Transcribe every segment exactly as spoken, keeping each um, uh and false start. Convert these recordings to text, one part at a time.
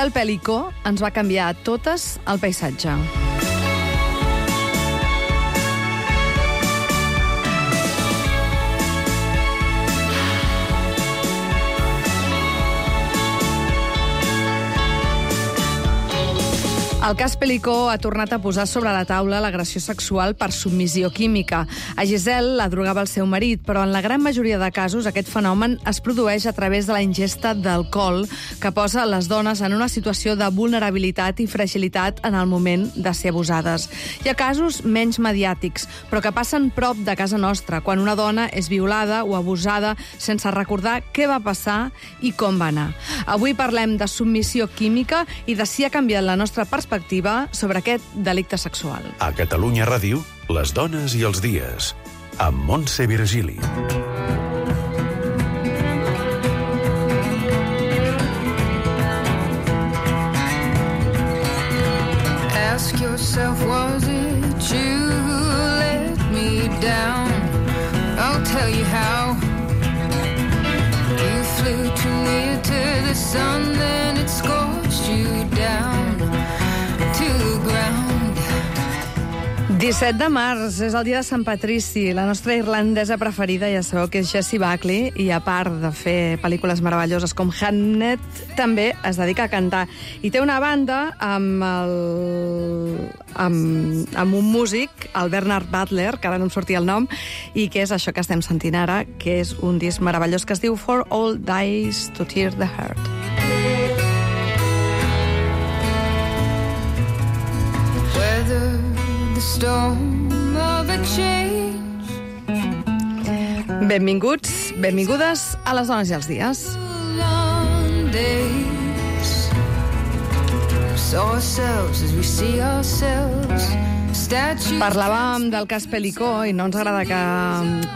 Giselle Pelicó ens va canviar a totes el paisatge. El cas Pelicó ha tornat a posar sobre la taula l'agressió sexual per submissió química. A Giselle la drogava el seu marit, però en la gran majoria de casos aquest fenomen es produeix a través de la ingesta d'alcohol, que posa les dones en una situació de vulnerabilitat i fragilitat en el moment de ser abusades. Hi ha casos menys mediàtics, però que passen prop de casa nostra, quan una dona és violada o abusada sense recordar què va passar i com va anar. Avui parlem de submissió química i de si ha canviat la nostra perspectiva sobre aquest delicte sexual. A Catalunya Ràdio, les dones i els dies, amb Montse Virgili. Ask yourself, was it you who let me down? I'll tell you how. You flew too near to the sun, then it scorched you down. disset de març és el dia de Sant Patrici. La nostra irlandesa preferida, ja sabeu que és Jessie Buckley, i a part de fer pel·lícules meravelloses com Hamnet, també es dedica a cantar. I té una banda amb, el... amb, amb un músic, el Bernard Butler, que ara no em sortia el nom, i que és això que estem sentint ara, que és un disc meravellós que es diu For All Dies to Tear the Heart. Benvinguts, benvingudes a les dones i els dies. Parlàvem del cas Pelicó i no ens agrada que,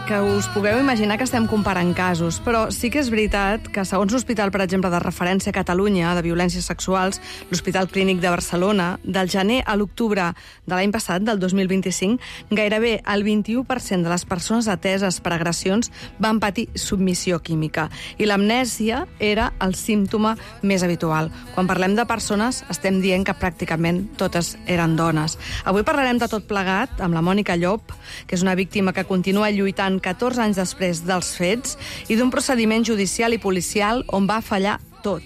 que us pugueu imaginar que estem comparant casos, però sí que és veritat que segons l'Hospital, per exemple, de referència a Catalunya de violències sexuals, l'Hospital Clínic de Barcelona, del gener a l'octubre de l'any passat, del dos mil vint-i-cinc, gairebé el vint-i-u per cent de les persones ateses per agressions van patir submissió química i l'amnèsia era el símptoma més habitual. Quan parlem de persones estem dient que pràcticament totes eren dones. Avui parlarem de tot plegat amb la Mònica Llop, que és una víctima que continua lluitant catorze anys després dels fets i d'un procediment judicial i policial on va fallar tot.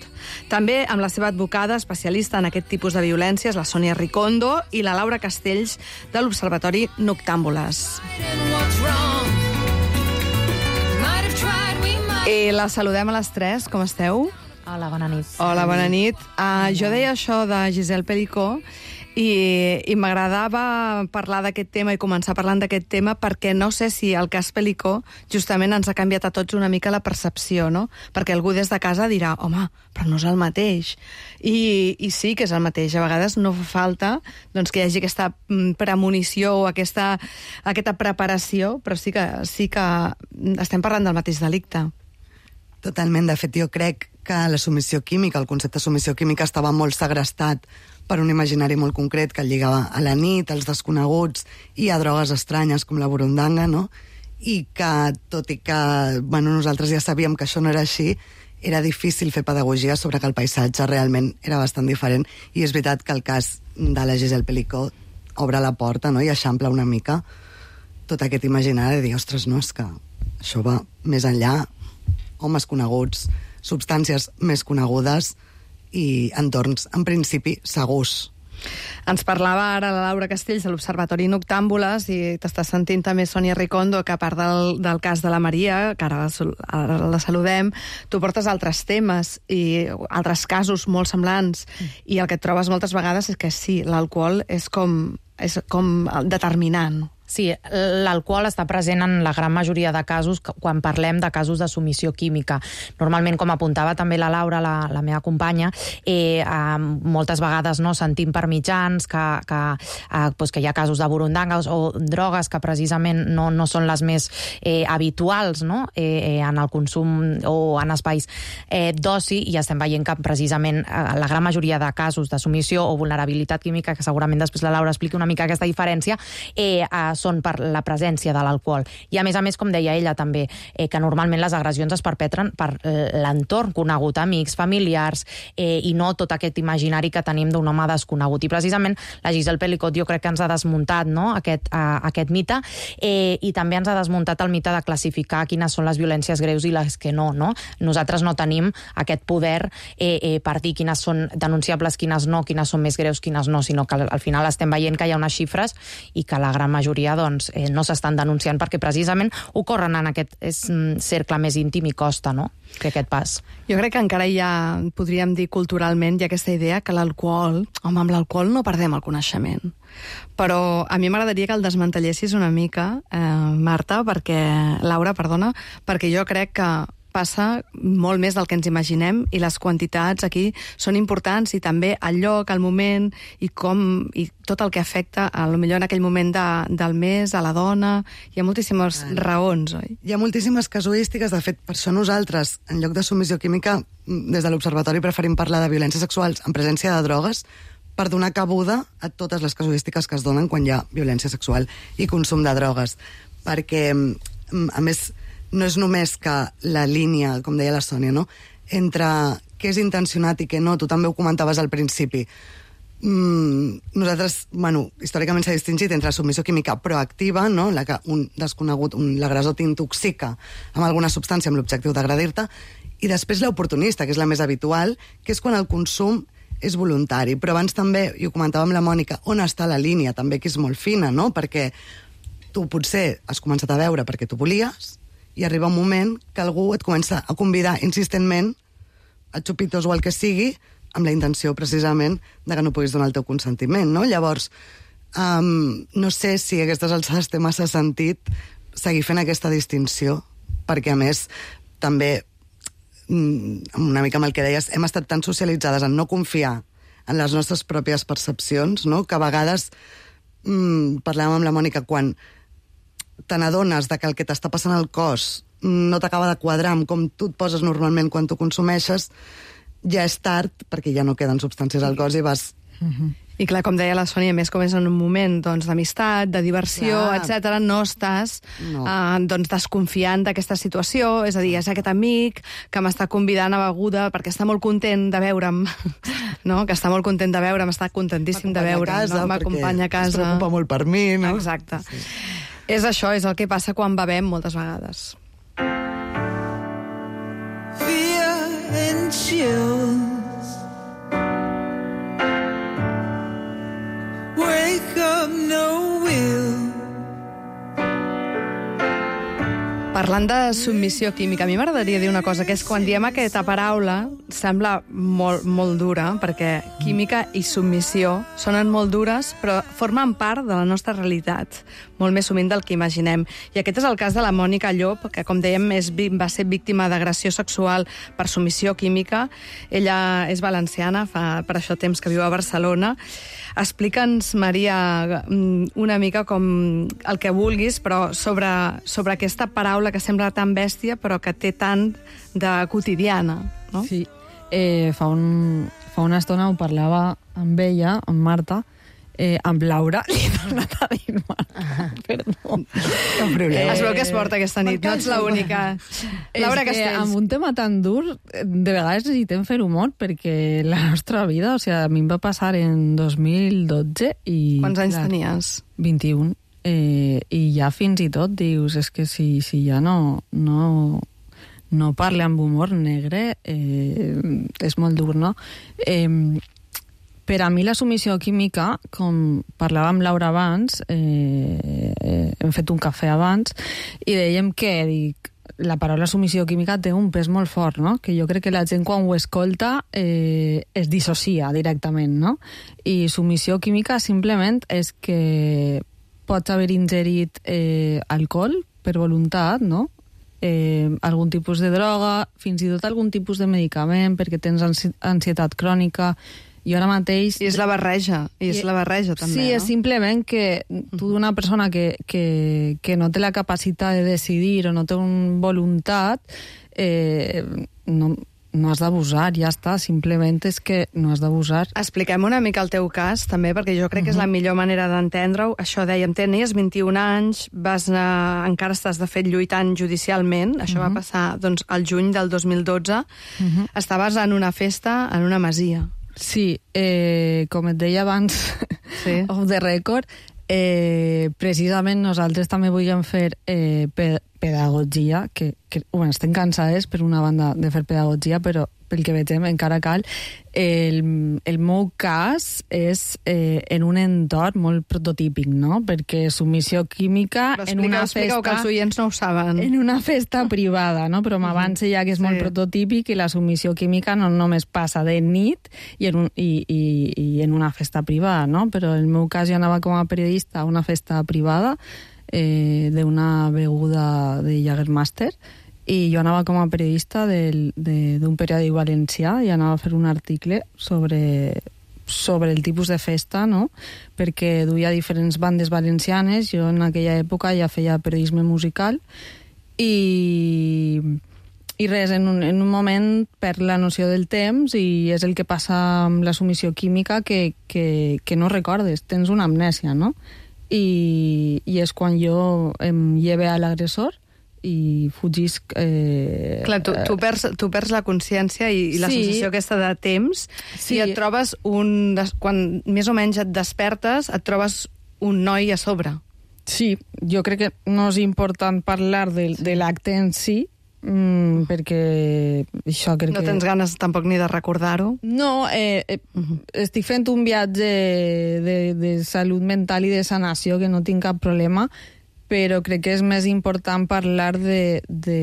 També amb la seva advocada especialista en aquest tipus de violències, la Sònia Ricondo, i la Laura Castells, de l'Observatori Noctàmbules. I la saludem a les tres. Com esteu? Hola, bona nit. Hola, bona nit. Uh, jo deia això de Giselle Pelicó i, i m'agradava parlar d'aquest tema i començar parlant d'aquest tema perquè no sé si el cas Pelicó justament ens ha canviat a tots una mica la percepció, no? Perquè algú des de casa dirà, home, però no és el mateix. I, i sí que és el mateix. A vegades no fa falta doncs, que hi hagi aquesta premonició o aquesta, aquesta preparació, però sí que, sí que estem parlant del mateix delicte. Totalment. De fet, jo crec que la submissió química, el concepte de submissió química estava molt segrestat per un imaginari molt concret que el lligava a la nit, als desconeguts i a drogues estranyes com la burundanga, no? I que, tot i que bueno, nosaltres ja sabíem que això no era així, era difícil fer pedagogia sobre que el paisatge realment era bastant diferent, i és veritat que el cas de la Giselle Pelicó obre la porta, no? I eixampla una mica tot aquest imaginari de dir, ostres, no, és que això va més enllà, homes coneguts, substàncies més conegudes i entorns, en principi, segurs. Ens parlava ara la Laura Castells de l'Observatori Noctàmbules i t'està sentint també Sònia Ricondo, que a part del, del cas de la Maria, que ara la, ara la saludem, tu portes altres temes i altres casos molt semblants, mm. i el que et trobes moltes vegades és que sí, l'alcohol és com, és com determinant. Sí, l'alcohol està present en la gran majoria de casos quan parlem de casos de submissió química. Normalment, com apuntava també la Laura, la, la meva companya, eh, eh, moltes vegades no, sentim per mitjans que, que, eh, pues que hi ha casos de burundangues o drogues que precisament no, no són les més eh, habituals, no? eh, en el consum o en espais eh, d'oci, i estem veient que precisament eh, la gran majoria de casos de submissió o vulnerabilitat química, que segurament després la Laura expliqui una mica aquesta diferència, eh, eh, són per la presència de l'alcohol. I a més a més, com deia ella també, eh, que normalment les agressions es perpetren per l'entorn conegut, amics, familiars, eh, i no tot aquest imaginari que tenim d'un home desconegut. I precisament la Giselle Pelicot jo crec que ens ha desmuntat, no?, aquest, uh, aquest mite, eh, i també ens ha desmuntat el mite de classificar quines són les violències greus i les que no, no? Nosaltres no tenim aquest poder eh, eh, per dir quines són denunciables, quines no, quines són més greus, quines no, sinó que al final estem veient que hi ha unes xifres i que la gran majoria doncs, eh, no s'estan denunciant perquè precisament ocorren en aquest és, cercle més íntim i costa, no?, que aquest pas. Jo crec que encara hi ha, podríem dir culturalment, hi ha aquesta idea que l'alcohol, home, amb l'alcohol no perdem el coneixement. Però a mi m'agradaria que el desmantellessis una mica, eh, Marta, perquè, Laura, perdona, perquè jo crec que passa molt més del que ens imaginem i les quantitats aquí són importants i també el lloc, el moment i com i tot el que afecta a lo millor en aquell moment de, del mes, a la dona. Hi ha moltíssimes ah, raons, oi? Hi ha moltíssimes casuístiques. De fet, per això nosaltres, en lloc de submissió química, des de l'Observatori preferim parlar de violències sexuals en presència de drogues per donar cabuda a totes les casuístiques que es donen quan hi ha violència sexual i consum de drogues. Perquè, a més, no és només que la línia, com deia la Sònia, no?, entre què és intencionat i què no, tu també ho comentaves al principi. Mm, nosaltres, bueno, històricament s'ha distingit entre submissió química proactiva, no?, la que un desconegut, un, l'agressor t'intoxica amb alguna substància amb l'objectiu d'agredir-te, i després l'oportunista, que és la més habitual, que és quan el consum és voluntari. Però abans també, i ho comentava amb la Mònica, on està la línia, també, que és molt fina, no?, perquè tu potser has començat a veure perquè tu volies, i arriba un moment que algú et comença a convidar insistentment a xupitos o el que sigui, amb la intenció precisament de que no puguis donar el teu consentiment, no? Llavors, um, no sé si a aquestes alçades té massa sentit seguir fent aquesta distinció, perquè a més també, una mica amb el que deies, hem estat tan socialitzades en no confiar en les nostres pròpies percepcions, no?, que a vegades mm, parlàvem amb la Mònica, quan te n'adones de que el que t'està passant al cos no t'acaba de quadrar amb com tu et poses normalment quan tu consumeixes, ja és tard, perquè ja no queden substàncies al cos i vas... Uh-huh. I clar, com deia la Sònia, més com és en un moment doncs, d'amistat, de diversió, etcètera, no estàs no. Eh, doncs, desconfiant d'aquesta situació, és a dir, és aquest amic que m'està convidant a beguda perquè està molt content de veure'm, no? Que està molt content de veure'm, està contentíssim de veure'm, no? M'acompanya a casa. Es preocupa molt per mi, no? Exacte. Sí. És això, és el que passa quan bevem moltes vegades. Fear and chills. Wake up, no will. Parlant de submissió química, a mi m'agradaria dir una cosa, que és quan diem aquesta paraula, sembla molt, molt dura, perquè química i submissió sonen molt dures, però formen part de la nostra realitat, molt més sovint del que imaginem. I aquest és el cas de la Mònica Llop, que, com dèiem, és, va ser víctima d'agressió sexual per submissió química. Ella és valenciana, fa per això temps que viu a Barcelona. Explica'ns, Maria, una mica com el que vulguis, però sobre, sobre aquesta paraula que sembla tan bèstia, però que té tant de quotidiana, no? Sí. Eh, fa, un, fa una estona ho parlava amb ella, amb Marta, eh, amb Laura, li he tornat a dir Marta, perdó. No problema. Eh, es veu que es porta aquesta nit, no ets l'única. Laura Castells. Amb un tema tan dur, de vegades necessitem fer humor, perquè la nostra vida, o sigui, a mi em va passar en dos mil dotze i... Quants anys clar, tenies? vint-i-un. Eh, I ja fins i tot dius, és que si, si ja no... no no parle amb humor negre, eh, és molt dur, no? Eh, per a mi la submissió química, com parlava amb Laura abans, eh, eh, hem fet un cafè abans, i dèiem que dic, la paraula submissió química té un pes molt fort, no? Que jo crec que la gent quan ho escolta eh, es dissocia directament, no? I submissió química simplement és que pots haver ingerit eh, alcohol per voluntat, no? Eh, algun tipus de droga, fins i tot algun tipus de medicament perquè tens ansi ansietat crònica, i ara mateix... I és la barreja, i és la barreja també, sí, no? és simplement que tu d'una persona que, que, que no té la capacitat de decidir o no té una voluntat, eh, no, no has d'abusar, ja està, simplement és que no has d'abusar. Expliquem una mica el teu cas, també, perquè jo crec que és la millor manera d'entendre-ho. Això dèiem, tenies vint-i-un anys, vas anar, encara estàs de fet lluitant judicialment, això va passar doncs, al juny del dos mil dotze, estaves en una festa en una masia. Sí, eh, com et deia abans, Sí. off the record, eh, precisament nosaltres també volíem fer eh, pe pedagogia, que, que bueno, estem cansades per una banda de fer pedagogia, però pel que veiem encara cal. El, el meu cas és eh, en un entorn molt prototípic, no? Perquè submissió química Però en una expliqueu, festa... que els oients no ho saben. En una festa privada, no? Però m'avance ja que és molt Sí. prototípic i la submissió química no només passa de nit i en, un, i, i, i en una festa privada, no? Però en el meu cas jo anava com a periodista a una festa privada eh, d'una beguda de Jägermeister i jo anava com a periodista del, de, d'un periòdic valencià i anava a fer un article sobre, sobre el tipus de festa, no? Perquè duia diferents bandes valencianes, jo en aquella època ja feia periodisme musical i, i res, en un, en un moment perd la noció del temps i és el que passa amb la submissió química que, que, que no recordes, tens una amnèsia, no? I, i és quan jo em lleve a l'agressor i fugisc... Eh, Clar, tu, tu, perds, tu perds la consciència i, i la Sí. sensació aquesta de temps Sí. i et trobes un... des- Quan més o menys et despertes, et trobes un noi a sobre. Sí, jo crec que no és important parlar de, de l'acte en si, mm, perquè això crec No que... tens ganes tampoc ni de recordar-ho. No, eh, eh, estic fent un viatge de, de salut mental i de sanació que no tinc cap problema, però crec que és més important parlar de, de,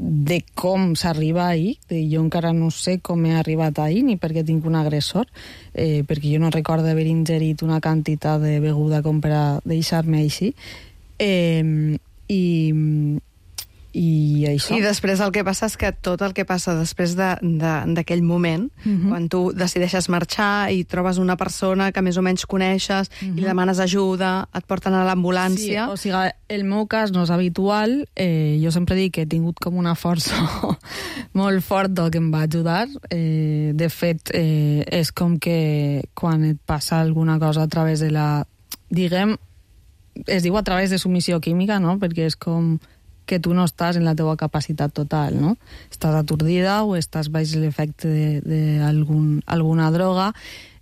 de com s'arriba ahir. De, jo encara no sé com he arribat ahir ni perquè tinc un agressor, eh, perquè jo no recordo haver ingerit una quantitat de beguda com per a deixar-me així. Eh, i, i això. I després el que passa és que tot el que passa després de- de- d'aquell moment, Mhm. quan tu decideixes marxar i trobes una persona que més o menys coneixes i li demanes ajuda, et porten a l'ambulància... Sí, o sigui, el meu cas no és habitual. Eh, jo sempre dic que he tingut com una força molt forta que em va ajudar. Eh, de fet, eh, és com que quan et passa alguna cosa a través de la... Diguem, es diu a través de submissió química, no? Perquè és com que tu no estàs en la teua capacitat total, no? Estàs atordida o estàs baix l'efecte d'alguna droga.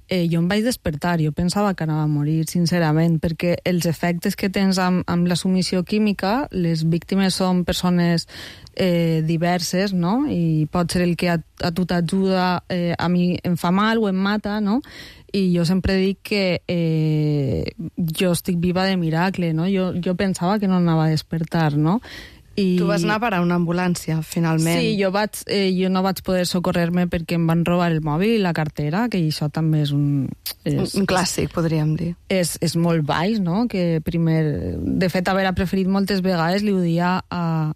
Eh, jo em vaig despertar, jo pensava que anava a morir, sincerament, perquè els efectes que tens amb, amb la submissió química, les víctimes són persones eh, diverses, no? I pot ser el que a, a tu t'ajuda, eh, a mi em fa mal o em mata, no? I jo sempre dic que eh, jo estic viva de miracle, no? Jo, jo pensava que no anava a despertar, no? I... Tu vas anar a parar a una ambulància, finalment. Sí, jo, vaig, eh, jo no vaig poder socorrer-me perquè em van robar el mòbil i la cartera, que això també és un... És, Un clàssic, podríem dir. és, és molt baix, no? Que primer... De fet, haver preferit moltes vegades, li ho dia a,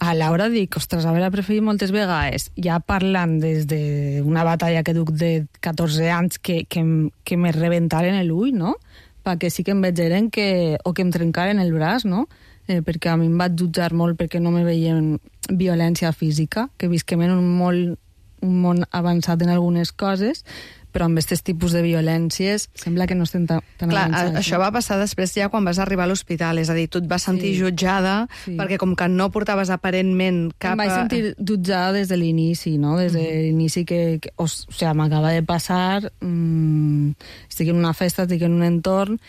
a Laura, dic, ostres, haver preferit moltes vegades, ja parlant des d'una batalla que duc de catorze anys que, que, em- que me rebentaren l'ull, no? Perquè sí que em vegeren que... o que em trencaren el braç, no? Eh, perquè a mi em vaig jutjar molt perquè no me veien violència física, que visquem en un, molt, un món avançat en algunes coses, però amb aquests tipus de violències sembla que no estem tan, tan Clar, avançats. això va passar després ja quan vas arribar a l'hospital, és a dir, tu et vas sentir Sí. jutjada Sí. perquè com que no portaves aparentment cap... Em vaig sentir jutjada des de l'inici, no? Des de l'inici que, que o, o sigui, m'acaba de passar, mmm, estic en una festa, estic en un entorn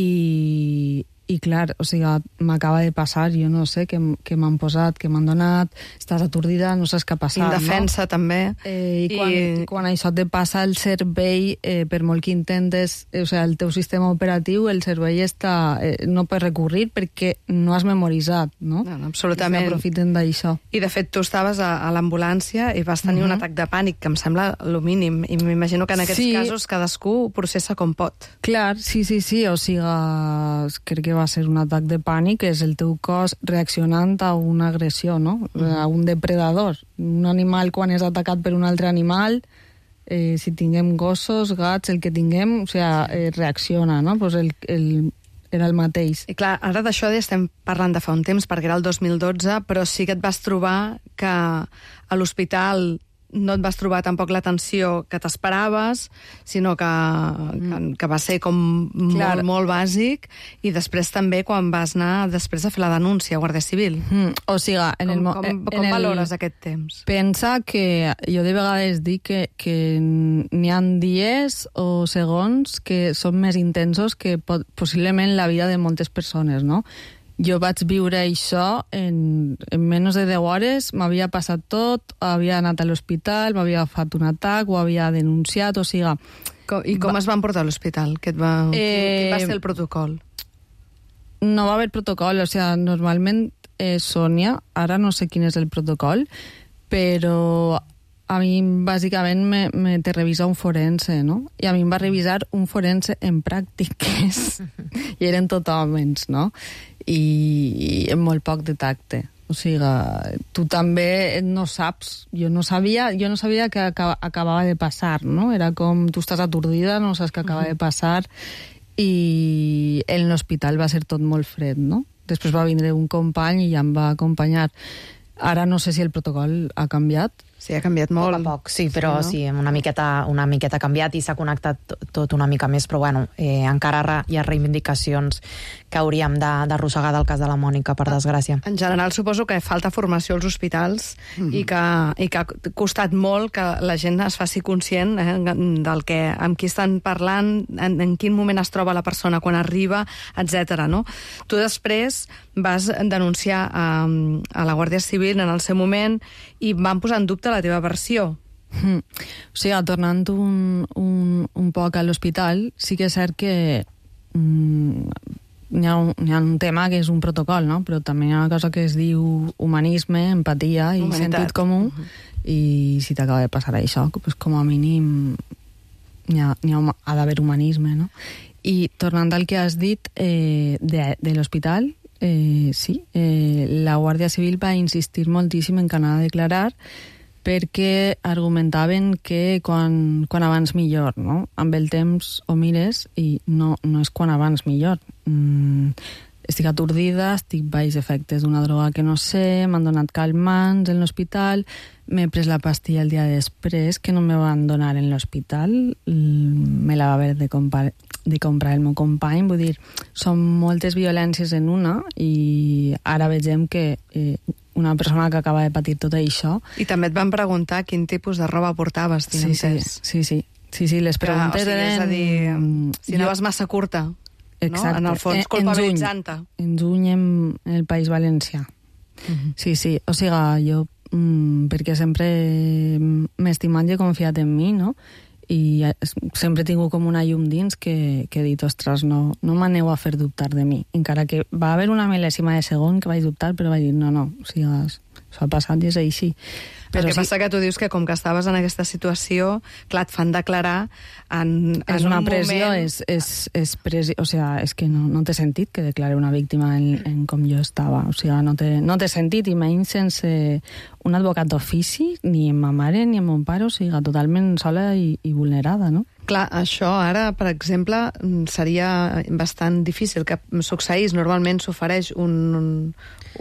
i, i clar, o sigui, m'acaba de passar, jo no sé què, m- què m'han posat, què m'han donat, estàs atordida, no saps què ha passat, Indefensa, no? també. Eh, I, I- quan, quan això te passa el cervell, eh, per molt que intentes, eh, o sigui, el teu sistema operatiu, el cervell està, eh, no pot recurrir perquè no has memoritzat, no? No, no, absolutament. I s'aprofiten d'això. I, de fet, tu estaves a, a l'ambulància i vas tenir uh -huh. un atac de pànic, que em sembla lo mínim. I m'imagino que en aquests Sí. casos cadascú ho processa com pot. Clar, sí, sí, sí, o sigui, crec que va ser un atac de pànic, és el teu cos reaccionant a una agressió, no? A un depredador. Un animal, quan és atacat per un altre animal, eh, si tinguem gossos, gats, el que tinguem, o sigui, eh, reacciona, no? Pues el, el, era el mateix. I clar, ara d'això ja estem parlant de fa un temps, perquè era el dos mil dotze, però sí que et vas trobar que a l'hospital no et vas trobar tampoc l'atenció que t'esperaves, sinó que, que, que va ser com Clar. molt, molt bàsic, i després també quan vas anar després a fer la denúncia a Guàrdia Civil. Mm, o sigui, en Com, el... mo- com, en com el- valores aquest temps? Pensa que jo de vegades dic que, que n'hi ha dies o segons que són més intensos que pot, possiblement la vida de moltes persones, no? Jo vaig viure això en, en menys de deu hores, m'havia passat tot, havia anat a l'hospital, m'havia agafat un atac, ho havia denunciat, o sigui... Com, I com Va- es van portar a l'hospital? Què et va, eh... Quin va ser el protocol? No va haver protocol, o sigui, normalment eh, Sònia, ara no sé quin és el protocol, però a mi bàsicament me, me te revisa un forense, no? I a mi em va revisar un forense en pràctiques, i eren tot homes, no? I, i amb molt poc de tacte. O sigui, tu també no saps, jo no sabia, jo no sabia que acaba, acabava de passar, no? Era com, tu estàs atordida, no saps què acaba de passar, i en l'hospital va ser tot molt fred, no? Després va vindre un company i ja em va acompanyar. Ara no sé si el protocol ha canviat. Sí, ha canviat molt. Poc a poc, sí, però Sí, sí, no? sí una miqueta, una miqueta canviat i s'ha connectat to- tot una mica més, però bueno, eh, encara re- hi ha reivindicacions que hauríem de- d'arrossegar del cas de la Mònica, per desgràcia. En general, suposo que falta formació als hospitals mm-hmm. i, que, i que ha costat molt que la gent es faci conscient eh, del que, amb qui estan parlant, en, en quin moment es troba la persona quan arriba, etcètera. No? Tu després vas denunciar a, a la Guàrdia Civil en el seu moment i van posar en dubte la teva versió. Mm. O sigui, tornant un, un, un poc a l'hospital, sí que és cert que mm, hi, ha un, hi ha un tema que és un protocol, no? Però també hi ha una cosa que es diu humanisme, empatia i Humanitat. sentit comú, uh-huh. I si t'acaba de passar això, pues com a mínim hi ha, hi ha, ha d'haver humanisme, no? I tornant al que has dit eh, de, de l'hospital, eh, sí, eh, la Guàrdia Civil va insistir moltíssim en que anava a declarar perquè argumentaven que quan, quan abans millor, no? Amb el temps ho mires i no, no és quan abans millor. Mm, estic atordida, estic baix efectes d'una droga que no sé, m'han donat calmants en l'hospital, m'he pres la pastilla el dia després, que no me van donar en l'hospital, me la va haver de comprar, de comprar el meu company, vull dir, són moltes violències en una i ara vegem que eh, una persona que acaba de patir tot això... I també et van preguntar quin tipus de roba portaves, tinc Sí, sí, entès. sí, sí, sí, sí, les preguntes que, o sigui, eren... És a dir, si Jo- anaves massa curta, Exacte. no? En el fons, En- culpabilitzant-te. En juny en, en el País Valencià. Mhm. Sí, sí, o sigui, jo, mm, perquè sempre m'he estimat i he confiat en mi, no? I es- sempre he tingut com una llum dins que, que he dit, ostres, no, no m'aneu a fer dubtar de mi. Encara que va haver una mil·lèsima de segon que vaig dubtar, però vaig dir, no, no, o sigui, s'ha passat i és així. Però el que sí, passa que tu dius que com que estaves en aquesta situació, clar, et fan declarar en, en és una un pressió, moment... és, és, és pressió, o sigui, és que no, no té sentit que declare una víctima en, en com jo estava, o sigui, no té, no té sentit, i menys sense un advocat d'ofici, ni amb ma mare ni amb mon pare, o sigui, totalment sola i, i vulnerada, no? Clar, això ara, per exemple, seria bastant difícil que succeís. Normalment s'ofereix un, un,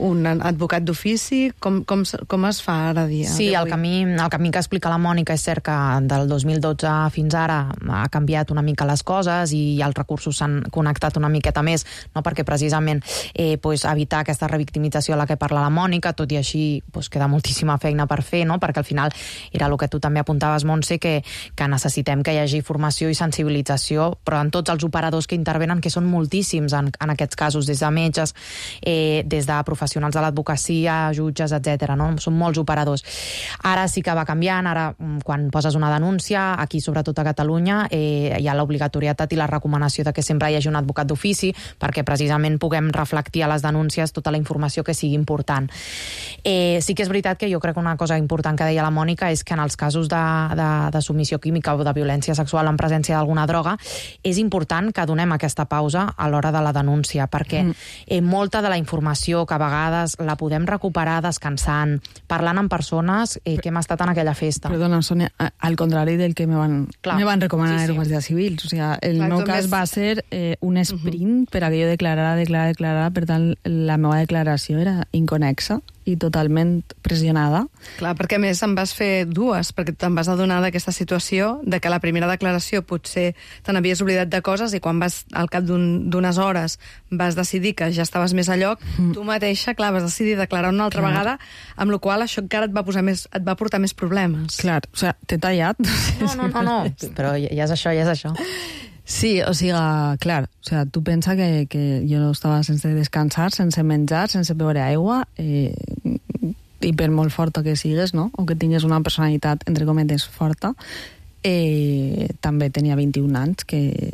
un advocat d'ofici. Com, com, com es fa ara dia? Sí, el camí, el camí que explica la Mònica és cert que del dos mil dotze fins ara ha canviat una mica les coses i els recursos s'han connectat una miqueta més, no? Perquè precisament eh, pues, evitar aquesta revictimització a la que parla la Mònica, tot i així pues, queda moltíssima feina per fer, no? Perquè al final era el que tu també apuntaves, Montse, que, que necessitem que hi hagi formació i sensibilització, però en tots els operadors que intervenen, que són moltíssims en, en aquests casos, des de metges, eh, des de professionals de l'advocacia, jutges, etcètera. No? Són molts operadors. Ara sí que va canviant, ara quan poses una denúncia, aquí sobretot a Catalunya, eh, hi ha l'obligatorietat i la recomanació de que sempre hi hagi un advocat d'ofici, perquè precisament puguem reflectir a les denúncies tota la informació que sigui important. Eh, sí que és veritat que jo crec que una cosa important que deia la Mònica és que en els casos de, de, de submissió química o de violència sexual sexual en presència d'alguna droga, és important que donem aquesta pausa a l'hora de la denúncia, perquè mm. eh, molta de la informació que a vegades la podem recuperar descansant, parlant amb persones eh, que hem estat en aquella festa. Perdona, Sònia, al contrari del que me van, me van recomanar sí, sí. els guàrdies civils. O sigui, el Clar, meu cas més... va ser eh, un sprint uh -huh. per a que jo declarara, declarara, declarara, per tant, la meva declaració era inconexa i totalment pressionada. Clar, perquè a més en vas fer dues, perquè te'n vas adonar d'aquesta situació, de que la primera declaració potser te n'havies oblidat de coses i quan vas, al cap d'unes un, hores, vas decidir que ja estaves més a lloc, mm. tu mateixa, clar, vas decidir declarar una altra clar. vegada, amb la qual cosa això encara et va, posar més, et va portar més problemes. Clar, o sigui, t'he tallat. No, no, no, no, però ja és això, ja és això. Sí, o sigui, clar, o sigui, tu pensa que, que jo estava sense descansar, sense menjar, sense beure aigua, eh, i per molt forta que sigues, no?, o que tingues una personalitat, entre cometes, forta, eh, també tenia vint-i-un anys, que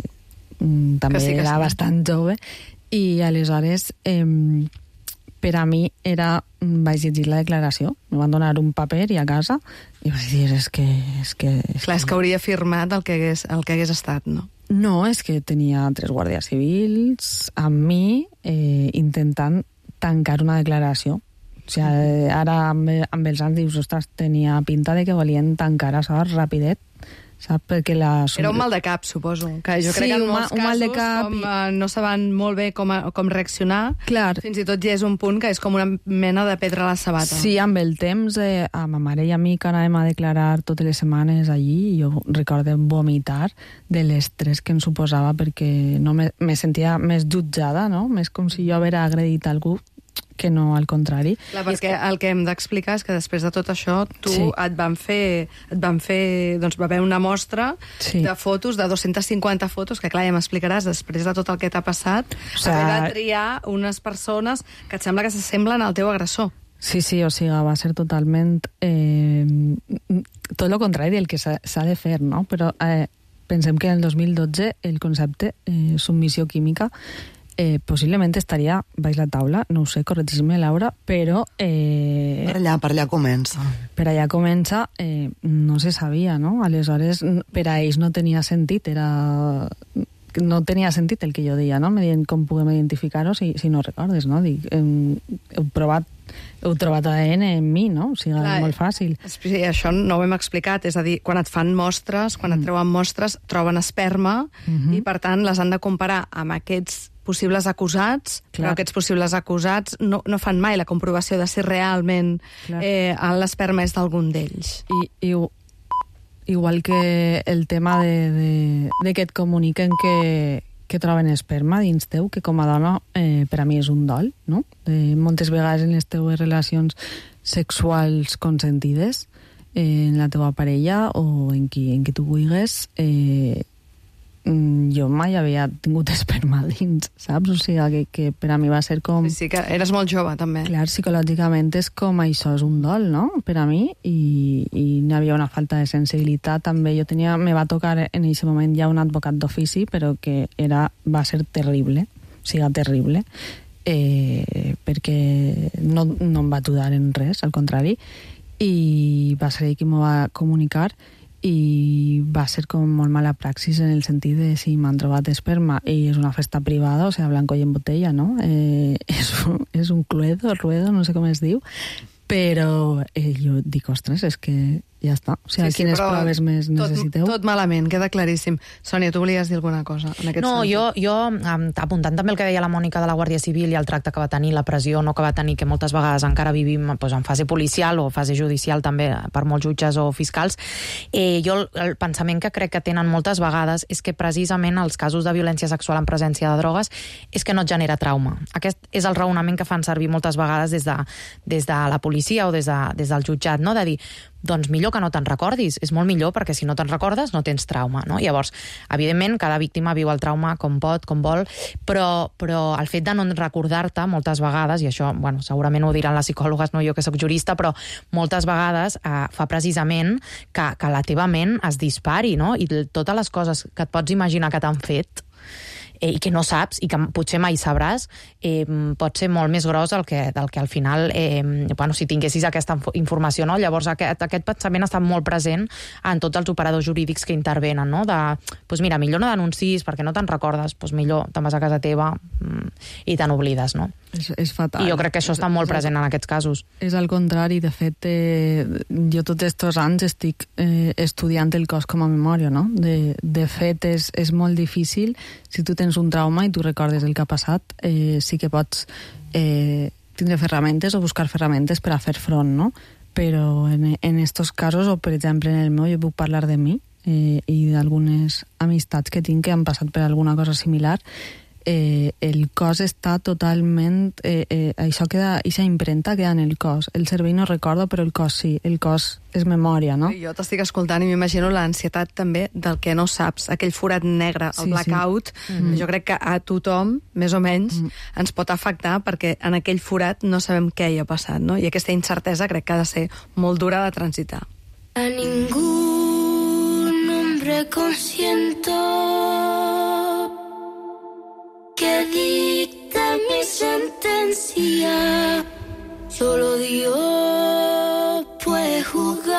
mm, també que sí, que era sí. bastant jove, i aleshores, eh, per a mi era, vaig llegir la declaració, me van donar un paper i a casa, i vaig dir, és que... És que és clar, és que hauria firmat el que hagués, el que hagués estat, no? No, és que tenia tres guàrdies civils amb mi eh, intentant tancar una declaració. O sigui, ara amb, amb els anys dius, ostres, tenia pinta de que volien tancar això rapidet, saps? Perquè la... Era un mal de cap, suposo. Que jo sí, crec que en un, molts un casos, mal de cap com i... uh, no saben molt bé com, a, com reaccionar, Clar. fins i tot ja és un punt que és com una mena de pedra a la sabata. Sí, amb el temps, eh, a ma mare i a mi que anàvem a declarar totes les setmanes allí, i jo recordo vomitar de l'estrès que em suposava perquè no me, me sentia més jutjada, no? Més com si jo haguera agredit algú, que no al contrari. Clar, perquè el que hem d'explicar és que després de tot això tu sí. et van fer, et van fer doncs va haver una mostra sí. de fotos, de dos-centes cinquanta fotos, que clar, ja m'explicaràs després de tot el que t'ha passat, o sigui, haver de triar unes persones que et sembla que s'assemblen al teu agressor. Sí, sí, o sigui, va ser totalment eh, tot el contrari del que s'ha de fer, no? Però eh, pensem que en el dos mil dotze el concepte eh, submissió química Eh, possiblement estaria baix la taula, no ho sé, corregis-me, Laura, però... Eh, per allà, per allà comença. Per allà comença, eh, no se sabia, no? Aleshores, per a ells no tenia sentit, era... No tenia sentit el que jo deia, no? Me deien com podem identificar-ho si, si no recordes, no? Dic, heu, heu provat heu trobat A D N en mi, no? O sigui, clar, és molt fàcil. Sí, això no ho hem explicat, és a dir, quan et fan mostres, quan et treuen mostres, troben esperma, mm-hmm. i per tant les han de comparar amb aquests possibles acusats, clar. Però aquests possibles acusats no, no fan mai la comprovació de si realment eh, l'esperma és d'algun d'ells. I, i igual que el tema de, de, de que et comuniquen que, que troben esperma dins teu, que com a dona eh, per a mi és un dol, no? Eh, moltes vegades en les teues relacions sexuals consentides, eh, en la teua parella o en qui, en qui tu vulguis, eh, jo mai havia tingut esperma dins, saps? O sigui, que, que per a mi va ser com... Sí, sí, que eres molt jove, també. Clar, psicològicament és com això és un dol, no?, per a mi, i, i n'hi havia una falta de sensibilitat, també. Jo tenia... Me va tocar en aquest moment ja un advocat d'ofici, però que era, va ser terrible, o sigui, terrible, eh, perquè no, no em va ajudar en res, al contrari, i va ser ell qui m'ho va comunicar, i va ser com molt mala praxis en el sentit de si m'han trobat esperma i és una festa privada, o sigui, blanco i en botella, no? Eh, és, un, és un cluedo, ruedo, no sé com es diu, però eh, jo dic, ostres, és que ja està. O sigui, sí, sí, quines proves més necessiteu? Tot, tot malament, queda claríssim. Sònia, tu volies dir alguna cosa en aquest no, sentit? jo, jo um, apuntant també el que deia la Mònica de la Guàrdia Civil i el tracte que va tenir, la pressió no que va tenir, que moltes vegades encara vivim doncs, en fase policial o fase judicial també per molts jutges o fiscals, eh, jo el, el pensament que crec que tenen moltes vegades és que precisament els casos de violència sexual en presència de drogues és que no et genera trauma. Aquest és el raonament que fan servir moltes vegades des de, des de la policia o des, de, des del jutjat, no? De dir, doncs millor que no te'n recordis, és molt millor perquè si no te'n recordes no tens trauma, no? Llavors, evidentment, cada víctima viu el trauma com pot, com vol, però, però el fet de no recordar-te moltes vegades, i això, bueno, segurament ho diran les psicòlogues, no jo que sóc jurista, però moltes vegades eh, fa precisament que, que la teva ment es dispari, no? I totes les coses que et pots imaginar que t'han fet eh, i que no saps i que potser mai sabràs, eh, pot ser molt més gros del que, del que al final, eh, bueno, si tinguessis aquesta informació, no? Llavors aquest, aquest pensament està molt present en tots els operadors jurídics que intervenen, no? De, doncs mira, millor no denuncis perquè no te'n recordes, doncs millor te'n vas a casa teva i te n'oblides, no? És, és fatal. I jo crec que això està molt present en aquests casos. És al contrari, de fet, eh, jo tots aquests anys estic eh, estudiant el cos com a memòria, no? De, de fet, és, és molt difícil. Si tu tens un trauma i tu recordes el que ha passat, eh, sí que pots eh, tindre ferramentes o buscar ferramentes per a fer front, no? Però en, en estos casos, o per exemple en el meu, jo puc parlar de mi eh, i d'algunes amistats que tinc que han passat per alguna cosa similar. Eh, el cos està totalment... Eh, eh, això queda, aquesta impremta queda en el cos. El cervell no recorda, però el cos sí. El cos és memòria, no? Jo t'estic escoltant i m'imagino l'ansietat també del que no saps, aquell forat negre, el sí, blackout. Sí. Mm. Jo crec que a tothom, més o menys, mm. ens pot afectar perquè en aquell forat no sabem què hi ha passat, no? I aquesta incertesa crec que ha de ser molt dura de transitar. A ningún hombre consiento que dicta mi sentencia, solo Dios puede juzgarme.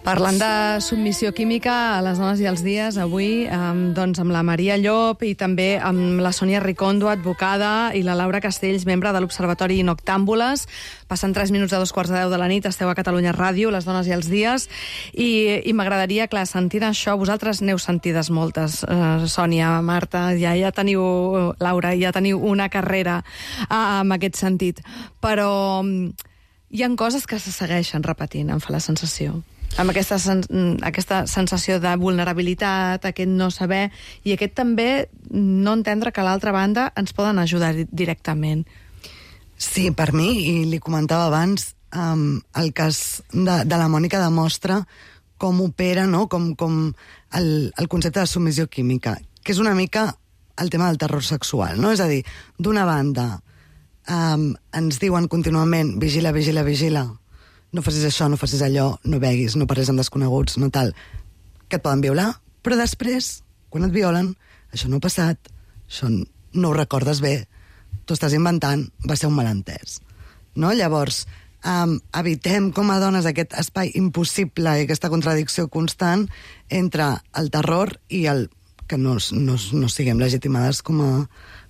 Parlant de submissió química a les dones i els dies, avui um, doncs amb la Maria Llop i també amb la Sònia Ricondo, advocada, i la Laura Castells, membre de l'Observatori Noctàmbules. Passen tres minuts de dos quarts de deu de la nit, esteu a Catalunya Ràdio, les dones i els dies, i, i m'agradaria, clar, sentir això, vosaltres n'heu sentides moltes, uh, Sònia, Marta, ja, ja teniu, Laura, ja teniu una carrera uh, en aquest sentit, però um, hi ha coses que se segueixen repetint, em fa la sensació. Amb aquesta, sen aquesta sensació de vulnerabilitat, aquest no saber, i aquest també no entendre que a l'altra banda ens poden ajudar directament. Sí, per mi, i li comentava abans, um, el cas de, de la Mònica demostra com opera, no? com, com el, el concepte de submissió química, que és una mica el tema del terror sexual, no? És a dir, d'una banda, um, ens diuen contínuament vigila, vigila, vigila, no facis això, no facis allò, no beguis, no parlis amb desconeguts, no tal, que et poden violar, però després, quan et violen, això no ha passat, això no ho recordes bé, t'ho estàs inventant, va ser un malentès. No? Llavors, um, evitem com a dones aquest espai impossible i aquesta contradicció constant entre el terror i el que no, no, no siguem legitimades com a,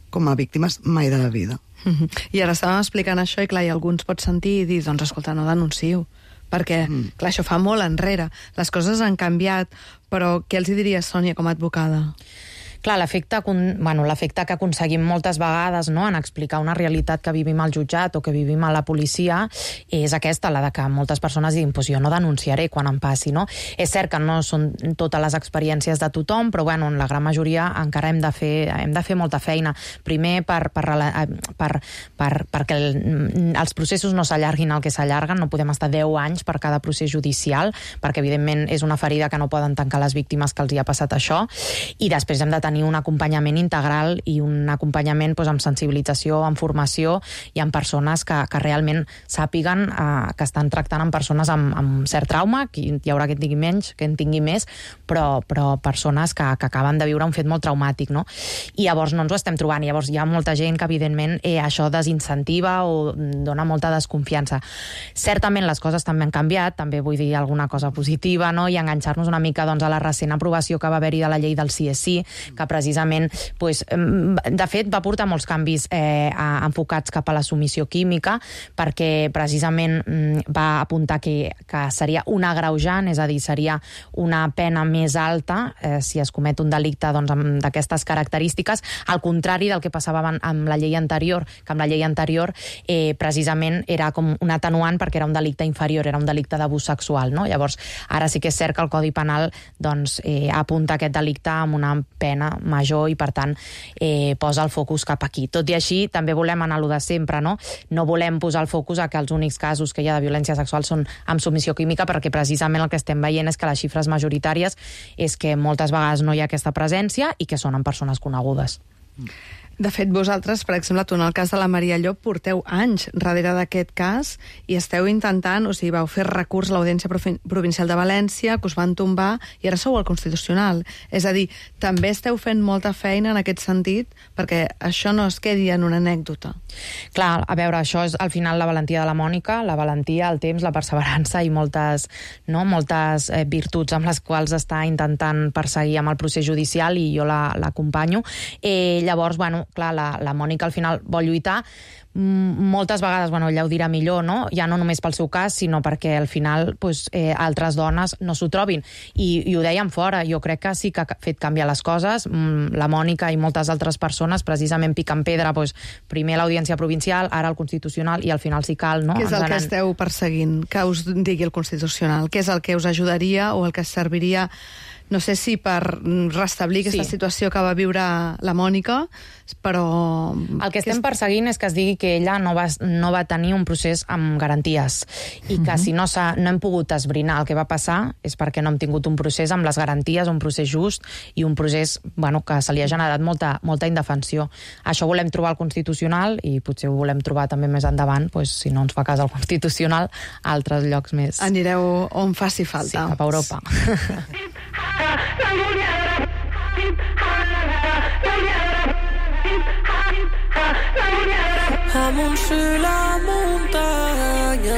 com a víctimes mai de la vida. Mm-hmm. I ara estàvem explicant això i clar, i algú ens pot sentir i dir, doncs escolta, no denuncieu, perquè mm. clar, això fa molt enrere, les coses han canviat, però què els hi diries, Sònia, com a advocada? Clar, l'efecte bueno, l'efecte que aconseguim moltes vegades, no?, en explicar una realitat que vivim al jutjat o que vivim a la policia és aquesta, la de que moltes persones diguin pues jo no denunciaré quan em passi, no? És cert que no són totes les experiències de tothom, però bueno, en la gran majoria encara hem de fer, hem de fer molta feina. Primer per, per, per, per, perquè el, els processos no s'allarguin el que s'allarguen, no podem estar deu anys per cada procés judicial, perquè evidentment és una ferida que no poden tancar les víctimes que els hi ha passat això, i després hem de tenir un acompanyament integral i un acompanyament doncs, amb sensibilització, amb formació i amb persones que, que realment sàpiguen eh, que estan tractant amb persones amb, amb cert trauma, que hi haurà que en tingui menys, que en tingui més, però, però persones que, que acaben de viure un fet molt traumàtic, no? I llavors no ens ho estem trobant, llavors hi ha molta gent que evidentment eh, això desincentiva o dona molta desconfiança. Certament les coses també han canviat, també vull dir alguna cosa positiva, no? I enganxar-nos una mica doncs, a la recent aprovació que va haver-hi de la llei del C S I, que precisament, pues, de fet, va portar molts canvis eh, enfocats cap a la submissió química, perquè precisament va apuntar que, que seria un agreujant, és a dir, seria una pena més alta eh, si es comet un delicte doncs, d'aquestes característiques, al contrari del que passava amb la llei anterior, que amb la llei anterior eh, precisament era com un atenuant perquè era un delicte inferior, era un delicte d'abús sexual, no? Llavors, ara sí que és cert que el Codi Penal doncs, eh, apunta aquest delicte amb una pena major i, per tant, eh, posa el focus cap aquí. Tot i així, també volem anar a lo de sempre, no? No volem posar el focus a que els únics casos que hi ha de violència sexual són amb submissió química, perquè precisament el que estem veient és que les xifres majoritàries és que moltes vegades no hi ha aquesta presència i que són en persones conegudes. De fet, vosaltres, per exemple, tu en el cas de la Maria Llop, porteu anys darrere d'aquest cas i esteu intentant, o sigui, vau fer recurs a l'Audiència Provincial de València, que us van tombar, i ara sou al Constitucional. És a dir, també esteu fent molta feina en aquest sentit perquè això no es quedi en una anècdota. Clar, a veure, això és al final la valentia de la Mònica, la valentia, el temps, la perseverança i moltes, no, moltes eh, virtuts amb les quals està intentant perseguir amb el procés judicial i jo l'acompanyo. Eh, llavors, bueno, clar, la, la Mònica al final vol lluitar. Moltes vegades, bueno, ella ho dirà millor, no? Ja no només pel seu cas, sinó perquè al final pues, eh, altres dones no s'ho trobin. I, I ho dèiem fora, jo crec que sí que ha fet canviar les coses. La Mònica i moltes altres persones precisament piquen pedra, pues, primer l'Audiència Provincial, ara el Constitucional, i al final si cal, no? Què és el Ens que anen... esteu perseguint? Que us digui el Constitucional? Què és el que us ajudaria o el que serviria, no sé si per restablir aquesta sí. situació que va viure la Mònica, però... El que estem perseguint és que es digui que ella no va, no va tenir un procés amb garanties i que uh-huh. si no, no hem pogut esbrinar el que va passar és perquè no hem tingut un procés amb les garanties, un procés just i un procés bueno, que se li ha generat molta, molta indefensió. Això volem trobar al Constitucional i potser ho volem trobar també més endavant, pues, si no ens fa cas al Constitucional, a altres llocs més. Anireu on faci falta. Sí, cap a Europa. Amunt sur la montagne,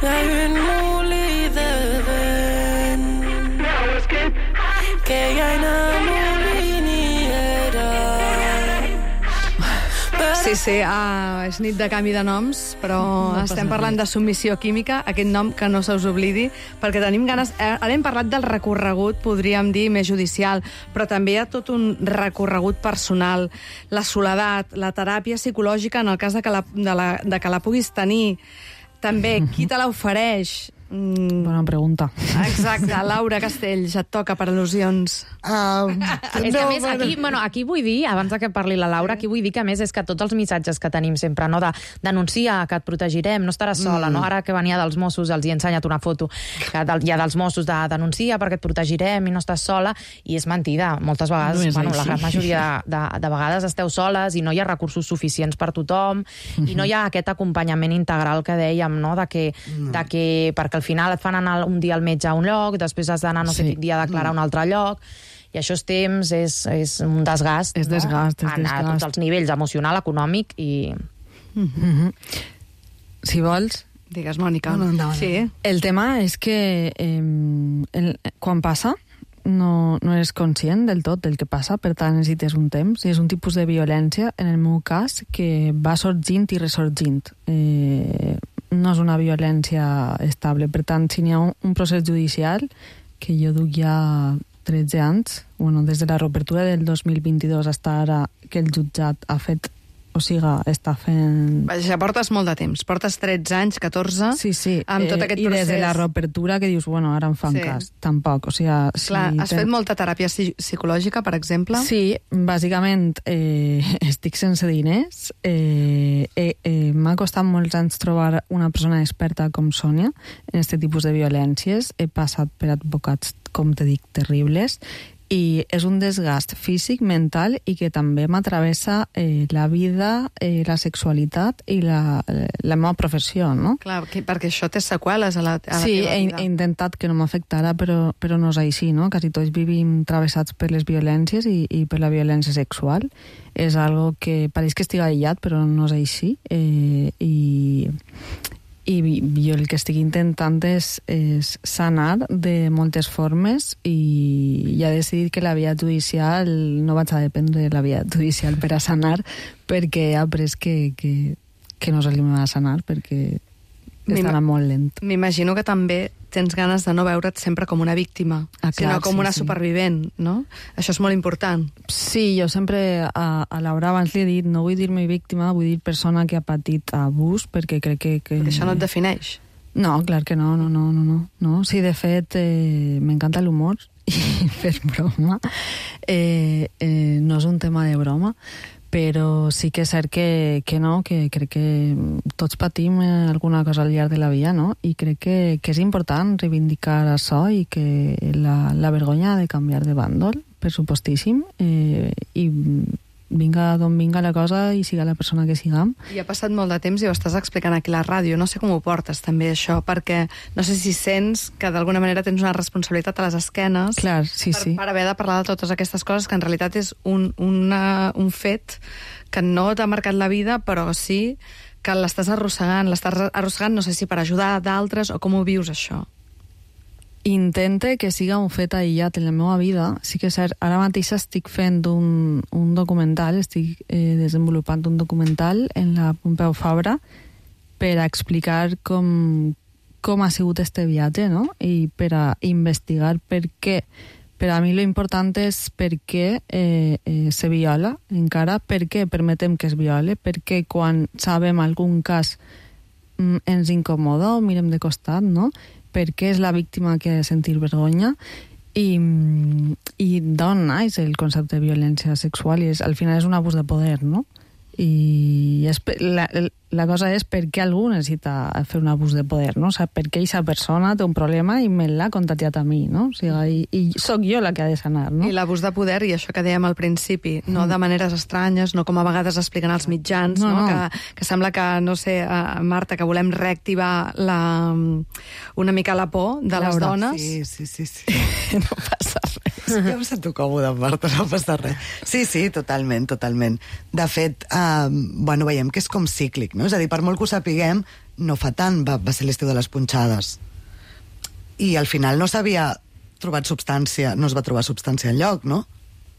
y a une moulée de vent, que hi ha una moliniera. Sí, sí, uh, és nit de canvi de noms, però no estem parlant de submissió química, aquest nom que no se us oblidi, perquè tenim ganes... Eh, ara hem parlat del recorregut, podríem dir, més judicial, però també hi ha tot un recorregut personal, la soledat, la teràpia psicològica en el cas de que la, de la, de que la puguis tenir. També, qui te l'ofereix? Mm. Bona pregunta. Exacte, Laura Castells, et toca per al·lusions. Uh, és que a més, aquí, bueno, aquí vull dir, abans que parli la Laura, aquí vull dir que a més és que tots els missatges que tenim sempre, no, de denunciar, que et protegirem, no estaràs sola, mm. no? Ara que venia dels Mossos, els hi he ensenyat una foto que hi ha dels Mossos de denunciar perquè et protegirem i no estàs sola, i és mentida. Moltes vegades, no bueno, la gran majoria de, de, de vegades esteu soles i no hi ha recursos suficients per tothom, mm-hmm. i no hi ha aquest acompanyament integral que dèiem, no? De que, mm. de que perquè al final et fan anar un dia al metge a un lloc, després has d'anar no sé sí. quin dia a declarar a un altre lloc, i això és temps, és, és un desgast, és desgast, no? és desgast. A tots els nivells, emocional, econòmic i... Mm-hmm. Si vols... Digues, Mònica. No, no, no. Sí. El tema és que eh, el, quan passa no, no eres conscient del tot del que passa, per tant necessites un temps, i és un tipus de violència, en el meu cas, que va sorgint i ressorgint. Eh, no és una violència estable. Per tant, si n'hi ha un, un procés judicial, que jo duc ja tretze anys, bueno, des de la reobertura del dos mil vint-i-dos fins ara que el jutjat ha fet, o sigui, està fent... Vaja, portes molt de temps, portes tretze anys, catorze, sí, sí. amb tot aquest eh, procés. I des de la reobertura que dius, bueno, ara em fan sí. cas, tampoc, o sigui... Si Clar, has ten... fet molta teràpia psicològica, per exemple? Sí, bàsicament eh, estic sense diners, eh, eh, eh, m'ha costat molts anys trobar una persona experta com Sònia en aquest tipus de violències, he passat per advocats, com te dic, terribles, i és un desgast físic, mental, i que també m'atravessa eh, la vida, eh, la sexualitat i la, la meva professió, no? Clar, que, perquè això té seqüeles a la, a la sí, teva vida. Sí, he, he intentat que no m'afectara, però, però no és així, no? Quasi tots vivim travessats per les violències i, i per la violència sexual. És algo que pareix que estigui aïllat, però no és així. Eh, i... I jo el que estic intentant és, és sanar de moltes formes, i ja he decidit que la via judicial no vaig a dependre de la via judicial per a sanar, perquè he après que, que, que no és el que m'ha de sanar, perquè està anant molt lent. M'imagino que també tens ganes de no veure't sempre com una víctima, ah, clar, sinó com sí, una sí. supervivent, no? Això és molt important. Sí, jo sempre a, a Laura abans li he dit, no vull dir-me víctima, vull dir persona que ha patit abús, perquè crec que... que... Perquè això no et defineix. No, clar que no, no, no, no, no. no. Sí, de fet, eh, m'encanta l'humor i fer broma. Eh, eh, no és un tema de broma, però sí que és cert que, que no, que crec que tots patim alguna cosa al llarg de la vida, no? I crec que, que és important reivindicar això i que la, la vergonya ha de canviar de bàndol, per supostíssim, eh, i vinga d'on vinga la cosa i siga la persona que siguem. I ha passat molt de temps i ho estàs explicant aquí a la ràdio. No sé com ho portes, també, això, perquè no sé si sents que d'alguna manera tens una responsabilitat a les esquenes Clar, sí, per, sí. per haver de parlar de totes aquestes coses que en realitat és un, una, un fet que no t'ha marcat la vida, però sí que l'estàs arrossegant. L'estàs arrossegant, no sé si per ajudar d'altres o com ho vius, això. Intente que siga un fet aïllat en la meva vida. Sí que és cert, ara mateix estic fent un, un documental, estic eh, desenvolupant un documental en la Pompeu Fabra per a explicar com, com ha sigut este viatge, no? I per a investigar per què. Per a mi lo important és per què eh, eh, se viola encara, per què permetem que es viole, per què quan sabem algun cas mm, ens incomoda o mirem de costat, no? Perquè és la víctima que ha de sentir vergonya i, i d'on naix el concepte de violència sexual i és, al final és un abús de poder, no? I és, la, la cosa és per què algú necessita fer un abús de poder, no? O sigui, per què aquesta persona té un problema i me l'ha contagiat a mi, no? O sigui, i, i sóc jo la que ha de sanar, no? I l'abús de poder, i això que dèiem al principi, no de maneres estranyes, no com a vegades expliquen als mitjans, no, no, no. Que, que sembla que, no sé, uh, Marta, que volem reactivar la, una mica la por de les Laura, dones. Sí, sí, sí. sí. No passa res. Ja em sento còmode, Marta, no passa res. Sí, sí, totalment, totalment. De fet, eh, bueno, veiem que és com cíclic, no? És a dir, per molt que ho sapiguem, no fa tant va, va ser l'estiu de les punxades. I al final no s'havia trobat substància, no es va trobar substància enlloc, no?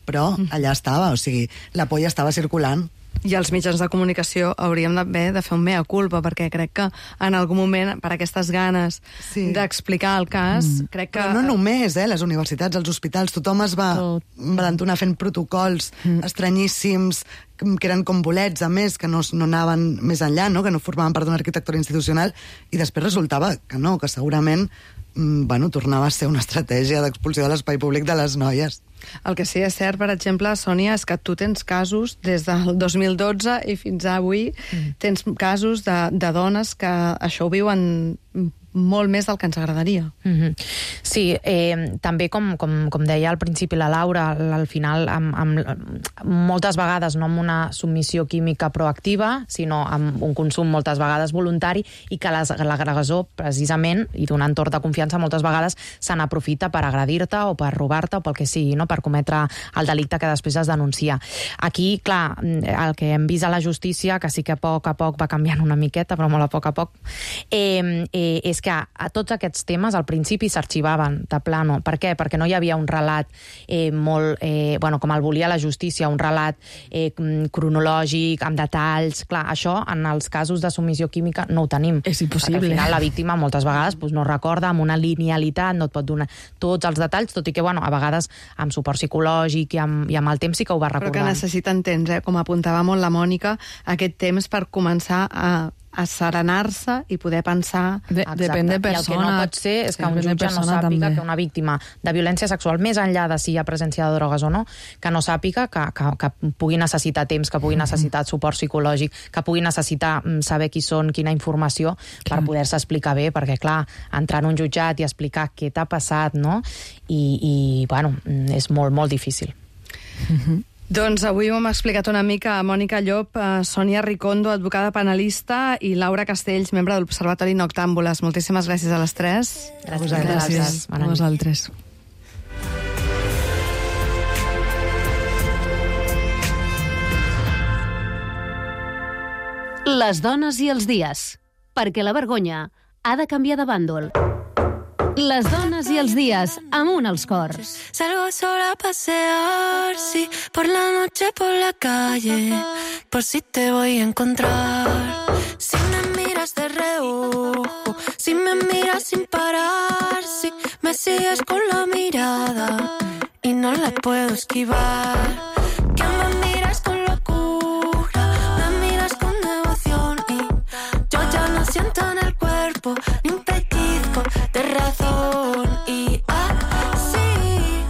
Però allà estava, o sigui, la por ja estava circulant. I els mitjans de comunicació hauríem d'haver de fer un mea culpa, perquè crec que en algun moment, per aquestes ganes Sí. d'explicar el cas, mm. crec que... Però no només, eh? Les universitats, els hospitals, tothom es va, va entonar fent protocols mm. estranyíssims, que eren com bolets, a més, que no, no anaven més enllà, no? Que no formaven part d'una arquitectura institucional, i després resultava que no, que segurament bueno, tornava a ser una estratègia d'expulsió de l'espai públic de les noies. El que sí és cert, per exemple, Sònia, és que tu tens casos des del dos mil dotze i fins a avui, mm. tens casos de, de dones que això ho viuen molt més del que ens agradaria. Mm-hmm. Sí, eh, també com, com, com deia al principi la Laura, al final amb, amb, moltes vegades no amb una submissió química proactiva, sinó amb un consum moltes vegades voluntari, i que l'agressor, precisament, i d'un entorn de confiança, moltes vegades se n'aprofita per agredir-te o per robar-te o pel que sigui, no? Per cometre el delicte que després es denuncia. Aquí, clar, el que hem vist a la justícia, que sí que a poc a poc va canviant una miqueta, però molt a poc a poc, eh, eh, és que a tots aquests temes al principi s'arxivaven de plano. Per què? Perquè no hi havia un relat eh, molt, eh, bueno, com el volia la justícia, un relat eh, cronològic, amb detalls. Clar, això en els casos de submissió química no ho tenim. És impossible. Perquè al final la víctima moltes vegades pues, no recorda, amb una linealitat, no et pot donar tots els detalls, tot i que, bueno, a vegades amb suport psicològic i amb, i amb el temps sí que ho va recordant. Però que necessiten temps, eh? Com apuntava molt la Mònica, aquest temps per començar a a serenar-se i poder pensar... De, depèn de persona. I el que no pot ser és que un jutge no sàpiga també. Que una víctima de violència sexual, més enllà de si hi ha presència de drogues o no, que no sàpiga que, que, que pugui necessitar temps, que pugui necessitar suport psicològic, que pugui necessitar saber qui són, quina informació, clar, per poder-se explicar bé, perquè, clar, entrar en un jutjat i explicar què t'ha passat, no? I, i bueno, és molt, molt difícil. Mhm. Doncs avui ho hem explicat una mica a Mònica Llop, a Sònia Ricondo, advocada penalista, i Laura Castells, membre de l'Observatori Noctàmbules. Moltíssimes gràcies a les tres. Gràcies. Gràcies a vosaltres. Les dones i els dies. Perquè la vergonya ha de canviar de bàndol. Les dones i els dies, amunt als cors. Salgo sola a pasear, sí, por la noche por la calle, por si te voy a encontrar. Si me miras de reojo, si me miras sin parar, si me sigues con la mirada y no la puedo esquivar. Que me miras con locura, me miras con devoción y yo ya no siento en el cuerpo ni un pellizco de razón y así,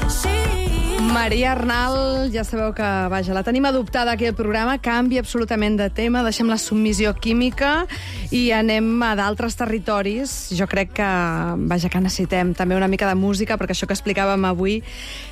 así. Maria Maria Arnal, ja sabeu que, vaja, la tenim adoptada aquí al programa, canvia absolutament de tema, deixem la submissió química i anem a d'altres territoris. Jo crec que, vaja, que necessitem també una mica de música, perquè això que explicàvem avui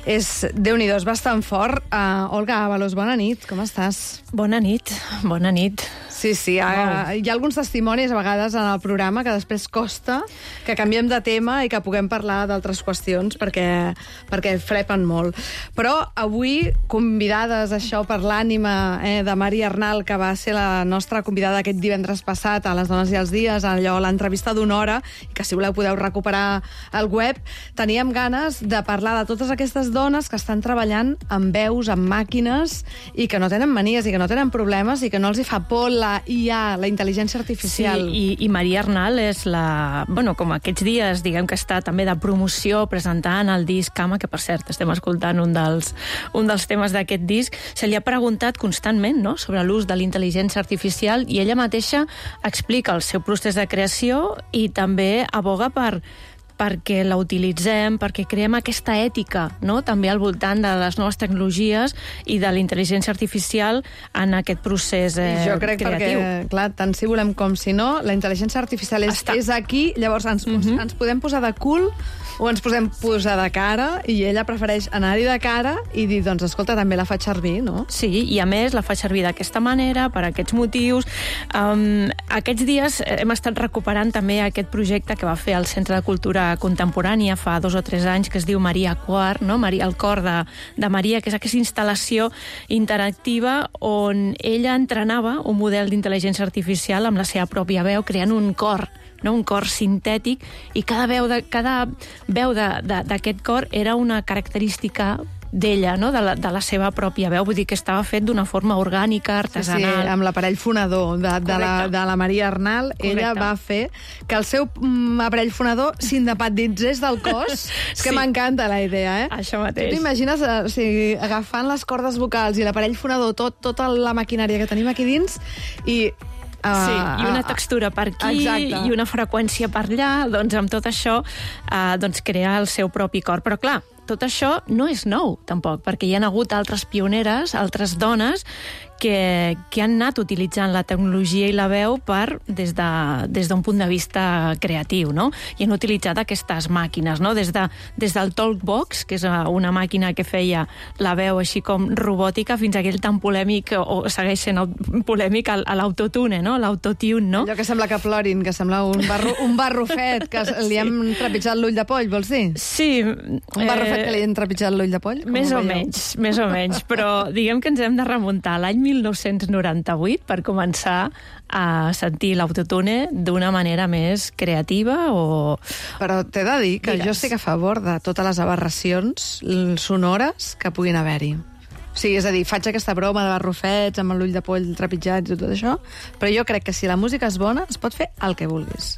és, Déu-n'hi-do, és bastant fort. Uh, Olga Ábalos, bona nit, com estàs? Bona nit, bona nit. Sí, sí, hi ha, hi ha alguns testimonis a vegades en el programa que després costa que canviem de tema i que puguem parlar d'altres qüestions perquè, perquè frepen molt. Però avui, convidades això per l'ànima eh, de Maria Arnal, que va ser la nostra convidada aquest divendres passat a Les Dones i els Dies, allò, l'entrevista d'una hora, i que si voleu podeu recuperar al web, teníem ganes de parlar de totes aquestes dones que estan treballant amb veus, amb màquines, i que no tenen manies i que no tenen problemes i que no els hi fa por la I A, la intel·ligència artificial. Sí, i, i Maria Arnal és la... Bueno, com aquests dies, diguem que està també de promoció presentant el disc Cama, que per cert estem escoltant un dels, un dels temes d'aquest disc, se li ha preguntat constantment, no?, sobre l'ús de la intel·ligència artificial, i ella mateixa explica el seu procés de creació i també aboga per perquè la utilitzem, perquè creem aquesta ètica, no?, també al voltant de les noves tecnologies i de la intel·ligència artificial en aquest procés eh, jo crec creatiu. Perquè, clar, tant si volem com si no, la intel·ligència artificial és, és aquí, llavors ens, uh-huh. ens podem posar de cul o ens podem posar de cara, i ella prefereix anar-hi de cara i dir, doncs, escolta, també la faig servir, no? Sí, i a més la fa servir d'aquesta manera, per aquests motius. Um, aquests dies hem estat recuperant també aquest projecte que va fer el Centre de Cultura Contemporània fa dos o tres anys, que es diu Maria Quart, no? Maria, el cor de, de Maria, que és aquesta instal·lació interactiva on ella entrenava un model d'intel·ligència artificial amb la seva pròpia veu, creant un cor, no? Un cor sintètic, i cada veu de, cada veu d'aquest cor era una característica d'ella, no?, de la, de la seva pròpia veu. Vull dir que estava fet d'una forma orgànica, artesanal. Sí, sí, amb l'aparell fonador de, de, la, de la Maria Arnal. Correcte. Ella va fer que el seu mm, aparell fonador s'independitzés del cos. És que sí. M'encanta la idea, eh? Això mateix. Tu t'imagines eh, o sigui, agafant les cordes vocals i l'aparell fonador, tot, tota la maquinària que tenim aquí dins, i Uh, sí, i una textura per aquí, exacte, i una freqüència per allà, doncs amb tot això uh, doncs crear el seu propi cor. Però clar, tot això no és nou, tampoc, perquè hi ha hagut altres pioneres, altres dones, que, que han anat utilitzant la tecnologia i la veu per, des de, des d'un punt de vista creatiu, no? I han utilitzat aquestes màquines, no? Des, de, des del Talkbox, que és una màquina que feia la veu així com robòtica, fins a aquell tan polèmic, o segueix sent polèmic, a l'autotune, no? L'autotune, no? Allò que sembla que plorin, que sembla un, barro, un barrufet, que sí. Li hem trepitjat l'ull de poll, vols dir? Sí. Un barrufet eh, que li hem trepitjat l'ull de poll? Més o menys, més o menys, però diguem que ens hem de remuntar a l'any mil nou-cents noranta-vuit per començar a sentir l'autotune d'una manera més creativa o... Però t'he de dir que Digues. jo estic a favor de totes les aberracions sonores que puguin haver-hi. O sigui, és a dir, faig aquesta broma de barrufets amb l'ull de poll trepitjats i tot això, però jo crec que si la música és bona es pot fer el que vulguis.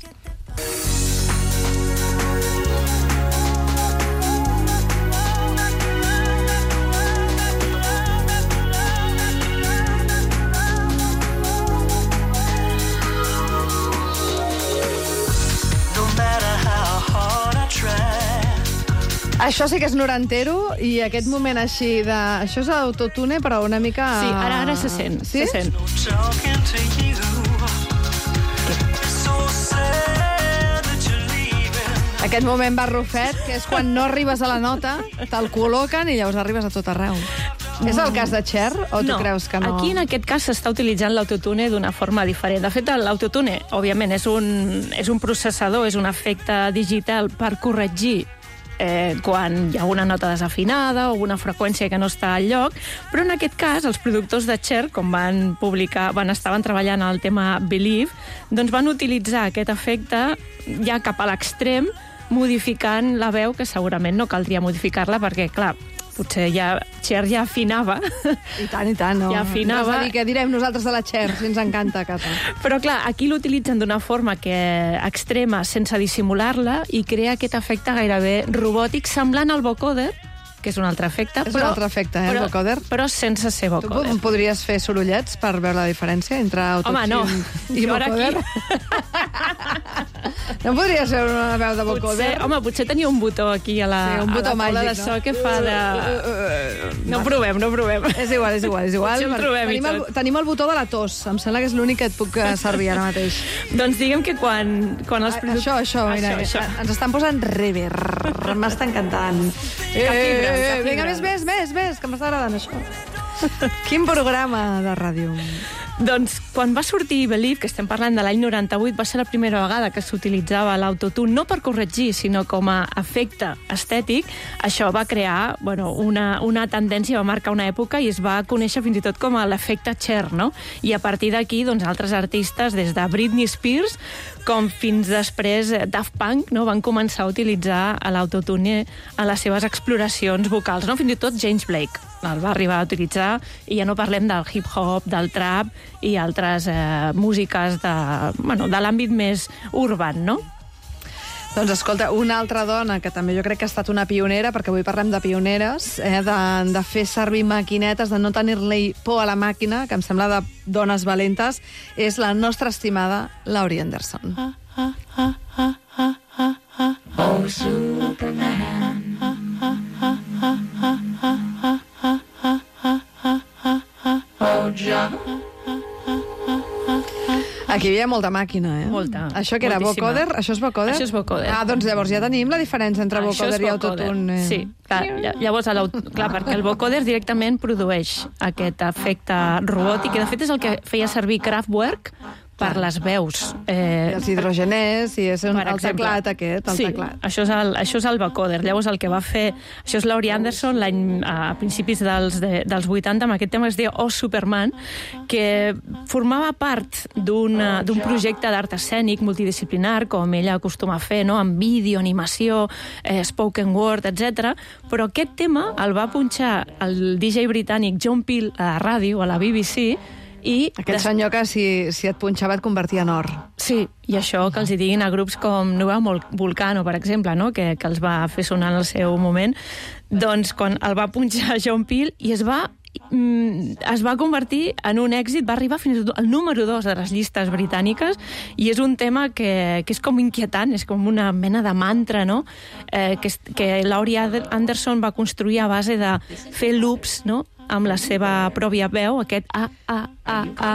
Això sí que és norantero, i aquest moment així de... Això és autotune, però una mica... Sí, ara, ara se sent. Sí? Se sent. Aquest moment barrufet, que és quan no arribes a la nota, te'l col·loquen i llavors arribes a tot arreu. Mm. És el cas de Cher, o tu no, creus que no? Aquí, en aquest cas, s'està utilitzant l'autotune d'una forma diferent. De fet, l'autotune, òbviament, és un, és un processador, és un efecte digital per corregir Eh, quan hi ha una nota desafinada o una freqüència que no està al lloc, però en aquest cas els productors de Cher, com van publicar, van estaven treballant al tema Believe, doncs van utilitzar aquest efecte ja cap a l'extrem, modificant la veu, que segurament no caldria modificar-la perquè, clar, potser ja Cher ja afinava. I tant, i tant. No. Ja afinava. No és a dir, què direm nosaltres de la Cher, si ens encanta, casa. Però, clar, aquí l'utilitzen d'una forma que extrema, sense dissimular-la, i crea aquest efecte gairebé robòtic, semblant al vocoder, que és un altre efecte. És però, un altre efecte, eh, però, el vocoder. Però sense ser vocoder. Tu podries fer sorollets per veure la diferència entre autotune no. i jo vocoder? Aquí... No podria ser una veu de vocoder? Potser, home, potser tenia un botó aquí a la, sí, un botó a la taula màgic, de so no? que fa de... No provem, no provem. És igual, és igual, és igual. Potser el trobem tenim, i el, tot. tenim el botó de la tos. Em sembla que és l'únic que et puc eh, servir ara mateix. Doncs diguem que quan, quan els... A, això, això, mira, això, això. ens estan posant reverb. M'està encantant. Eh, Cap fibra, eh, cap vinga, fibra. més, més, més, més, que m'està agradant això. Quin programa de ràdio. Doncs quan va sortir Believe, que estem parlant de l'any noranta-vuit, va ser la primera vegada que s'utilitzava l'autotune, no per corregir, sinó com a efecte estètic. Això va crear bueno, una, una tendència, va marcar una època i es va conèixer fins i tot com a l'efecte Cher, no? I a partir d'aquí, doncs, altres artistes, des de Britney Spears, com fins després Daft Punk, no? Van començar a utilitzar l'autotune a les seves exploracions vocals, no? Fins i tot James Blake el va arribar a utilitzar, i ja no parlem del hip-hop, del trap i altres eh, músiques de, bueno, de l'àmbit més urban, no? Doncs escolta, una altra dona que també jo crec que ha estat una pionera, perquè avui parlem de pioneres, eh, de, de fer servir maquinetes, de no tenir-li por a la màquina, que em sembla de dones valentes, és la nostra estimada Laurie Anderson. Ah, ah, ah, ah, ah, ah, ah. Oh, Superman. Aquí hi havia molta màquina, eh? Molta. Això que era moltíssima. vocoder? Això és vocoder? Això és vocoder. Ah, doncs llavors ja tenim la diferència entre Això vocoder és i vocoder. autotune. Eh? Sí, clar, llavors, clar, perquè el vocoder directament produeix aquest efecte robòtic, i de fet és el que feia servir Kraftwerk per les veus. Eh, I els hidrogeners, i és un, el teclat aquest, el sí, teclat. Això és el, això és el vocoder. Llavors el que va fer... Això és Laurie Anderson l'any a principis dels, de, dels vuitanta, amb aquest tema que es deia Oh Superman, que formava part d'un projecte d'art escènic multidisciplinar, com ella acostuma a fer, no? Amb vídeo, animació, eh, spoken word, etcètera. Però aquest tema el va punxar el D J britànic John Peel a la ràdio, a la B B C, i Aquell senyor que si, si et punxava et convertia en or. Sí, i això que els hi diguin a grups com Nueva Volcano, per exemple, no? que, que els va fer sonar en el seu moment, doncs quan el va punxar John Peel i es va es va convertir en un èxit, va arribar fins al número dos de les llistes britàniques, i és un tema que, que és com inquietant, és com una mena de mantra, no? Eh, que, que Laurie Anderson va construir a base de fer loops, no? Amb la seva pròpia veu, aquest A, A, A, A,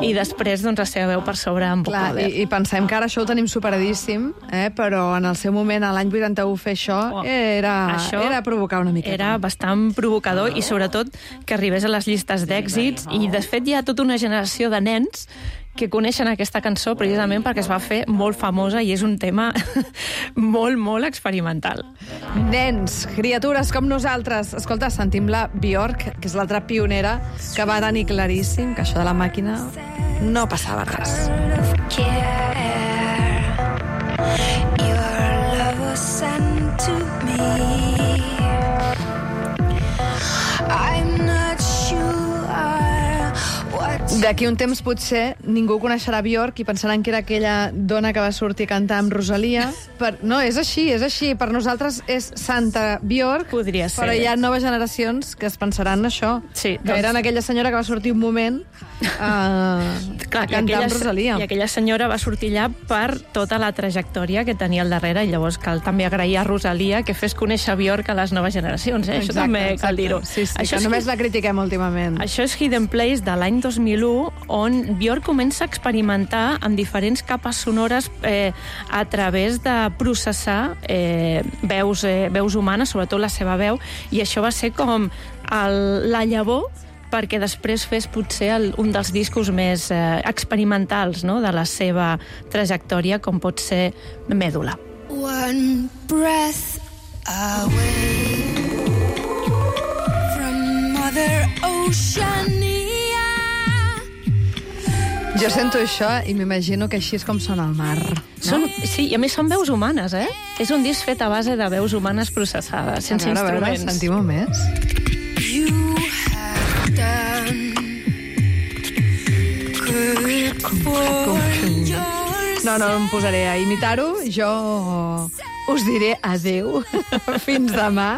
i després doncs, la seva veu per sobre amb vocoder. I, I pensem que ara això ho tenim superadíssim, eh? Però en el seu moment, a l'any vuitanta-u, fer això, oh, era, això era provocar una mica. Era bastant provocador, i sobretot que arribés a les llistes d'èxits, i de fet hi ha tota una generació de nens que coneixen aquesta cançó precisament perquè es va fer molt famosa i és un tema molt, molt experimental. Nens, criatures com nosaltres. Escolta, sentim la Björk, que és l'altra pionera, que va tenir claríssim que això de la màquina no passava res. Your love was sent to me. I'm not sure. D'aquí un temps potser ningú coneixerà Björk i pensaran que era aquella dona que va sortir a cantar amb Rosalia. Per... No, és així, és així. Per nosaltres és Santa Björk. Podria ser. Però hi ha noves generacions que es pensaran això. Sí, que doncs... eren aquella senyora que va sortir un moment a, Clar, a cantar aquella, amb Rosalia. I aquella senyora va sortir allà per tota la trajectòria que tenia al darrere, i llavors cal també agrair a Rosalia que fes conèixer Björk a les noves generacions. Eh? Exacte, això també exacte. cal dir-ho. Sí, sí, això que només la critiquem últimament. Això és Hidden Place de l'any dos mil u, on Björk comença a experimentar amb diferents capes sonores eh, a través de processar eh, veus, eh, veus humanes, sobretot la seva veu, i això va ser com el, la llavor perquè després fes potser el, un dels discos més eh, experimentals, no?, de la seva trajectòria, com pot ser Mèdula. One breath away from Mother Oceania. Jo sento això i m'imagino que així és com sona el mar. No? Són, sí, i a més són veus humanes, eh? És un disc fet a base de veus humanes processades, sense a veure, instruments. A veure, sentim-ho més. You have done good for yours. No, no em posaré a imitar-ho. Jo us diré adeu. Fins demà.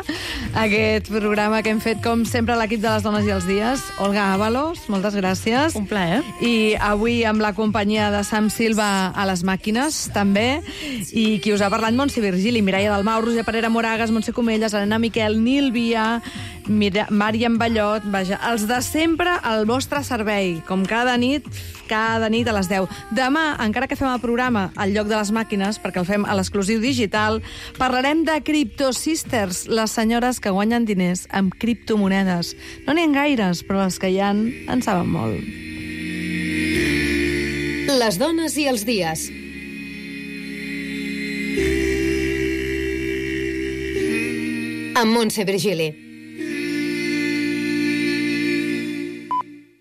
aquest programa que hem fet, com sempre, l'equip de les dones i els dies. Olga Ábalos, moltes gràcies. Un plaer. I avui amb la companyia de Sam Silva a les màquines, també. I qui us ha parlat, Montse Virgili, Mireia Dalmau, Roser Parera Moragas, Montse Comelles, Helena Miquel, Nil Via, Màriam Ballot, vaja, els de sempre al vostre servei, com cada nit, cada nit a les deu. Demà, encara que fem el programa al lloc de les màquines, perquè el fem a l'exclusiu digital, parlarem de Crypto Sisters, les senyores que guanyen diners amb criptomonedes. No n'hi ha gaires, però les que hi ha en saben molt. Les dones i els dies. Amb Montse Virgili.